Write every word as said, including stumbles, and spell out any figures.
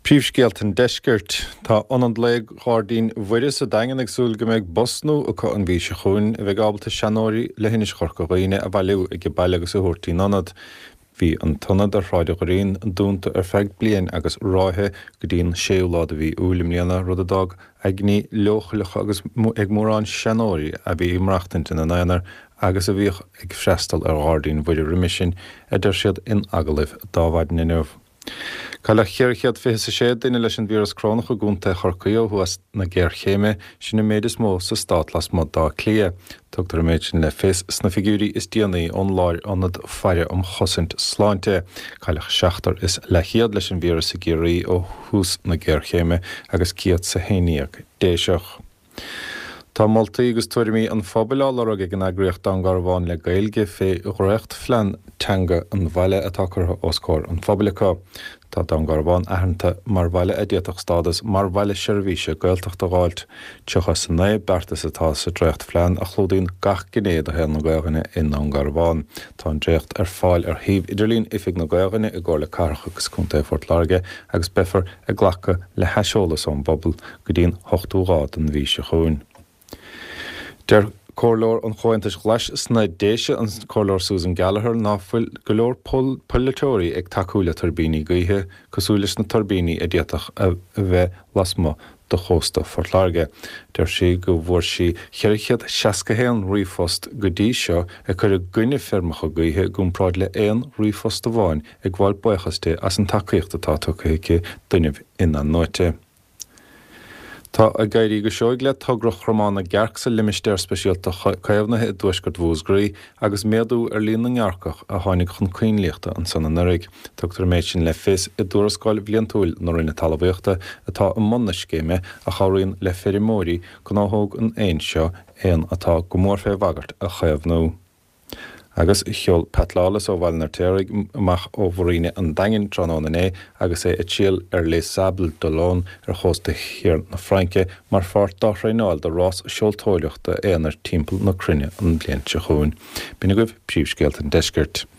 Príomhscéalta an Deiscirt. Tá Ionad Lae Ghairdín Mhuire sa Daingean ag súil go mbeidh bus nua acu an mhí seo chugainn a bheidh ábalta seanóirí leithinis Chorca Dhuibhne a bhailiú ag baile agus a thabhairt ón ionad. Bhí an t-ionad ar Shráid an Dhoirín dúnta ar feadh bliain agus ráithe go dtí an séú lá de mhí Iúil i mbliana, rud a d'fhág aigne leochaileach agus ag mórán seanóirí a bhí ag maireachtaint ina n-aonar agus a bhíodh ag freastal ar Ghairdín Mhuire roimhe sin, a deir siad in agallamh d'Adhmhaidin inniu. Cailleadh ceithre chéad fiche is a sé duine leis an víreas corónach i gContae Chorcaí ó thús na géarchéime, sin an méid is mó sa stát lasmuigh d'Áth Cliath. Tugtar an méid sin le fios sna figiúirí is déanaí ón Lárionad Faire um Chosaint Sláinte. Cailleadh seachtar is leathchéad leis an víreas i gCiarraí ó thús na géarchéime agus céad is a haon déag Déiseach. Tá moltaí agus tuairimí an phobail á lorg ag an eagraíocht Dún Garbhán le Gaeilge fé dhréachtphlean teanga an bhaile atá curtha os comhair an phobail acu. Tá Dún Garbhán aitheanta mar bhaile a d'fhéadfadh stádas mar bhaile seirbhíse Gaeltachta a dh'fháilt. Tríocha is a naoi beartas atá sa dréachtphlean a chlúdaíonn gach gné de shaol na Gaelainne i nDún Garbhán. Tá an dréacht ar fáil ar shuíomh idirlín Oifig na Gaelainne i gComhairle Cathrach agus Contae Phort Láirge agus beifear ag glacadh le haiseolas ón bpobal go dtí an ochtú lá den mhí seo chugainn. Deir Comhairleoir an Chomhaontais Ghlais sna Déise, an Comhairleoir Susan Gallagher, ná fuil go leor polaiteoirí ag tacú le tuirbíní gaoithe cosúil leis na tuirbíní a d'fhéadfadh a bheith lasmuigh de chósta Phort Láirge. Deir sí go bhfuair sí ceithre chéad seasca haon ríomhphost go dtí seo ag cur i gcoinne feirmeacha gaoithe i gcomparáid le aon ríomhphost amháin ag gabháil buíochas di as an tacaíocht atá tugtha aici d'fhuinneamh in-athnuaite. Tá ag éirí go seoigh le togra Chromán na gCearc sa limistéar speisialta caomhnaithe i dtuaisceart Mhúscraí agus méadú ar líon na ngearrcach a tháinig chun coinlíochta ansan anuraidh. Tugtar an méid sin le fios i dtuarascáil bhliantúil na Roinne Talmhaíochta atá i mbun na scéime a chabhraíonn le feirmeoirí gnáthóg an éin seo, éan atá go mór fé bhagairt, a chaomhnú. Agus sheol Pat Lawless ó Bhaile an Fheirtéaraigh amach ó Mhuiríne an Daingin tráthnóna inné agus é ag triall ar Les Sables d'Olonne ar chósta thiar na Fraince mar pháirt dá thraenáil do rás seoltóireachta aonair timpeall na cruinne an bhliain seo chugainn. B'in agaibh príomhscéalta an deiscirt.